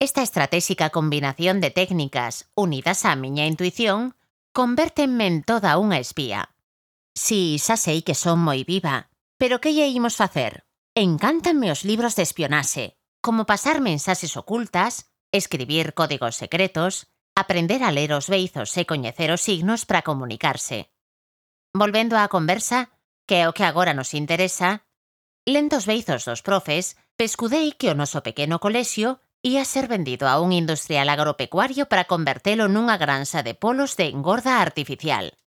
Esta estratégica combinación de técnicas unidas á miña intuición convértenme en toda unha espía. Si, xa sei que son moi viva, pero que lle imos facer? Encántanme os libros de espionaxe, como pasar mensaxes ocultas, escribir códigos secretos, aprender a ler os beizos e coñecer os signos para comunicarse. Volvendo á conversa, que é o que agora nos interesa, lendo os beizos dos profes, pescudei que o noso pequeno colexio ia ser vendido a un industrial agropecuario para convertelo nunha granxa de polos de engorda artificial.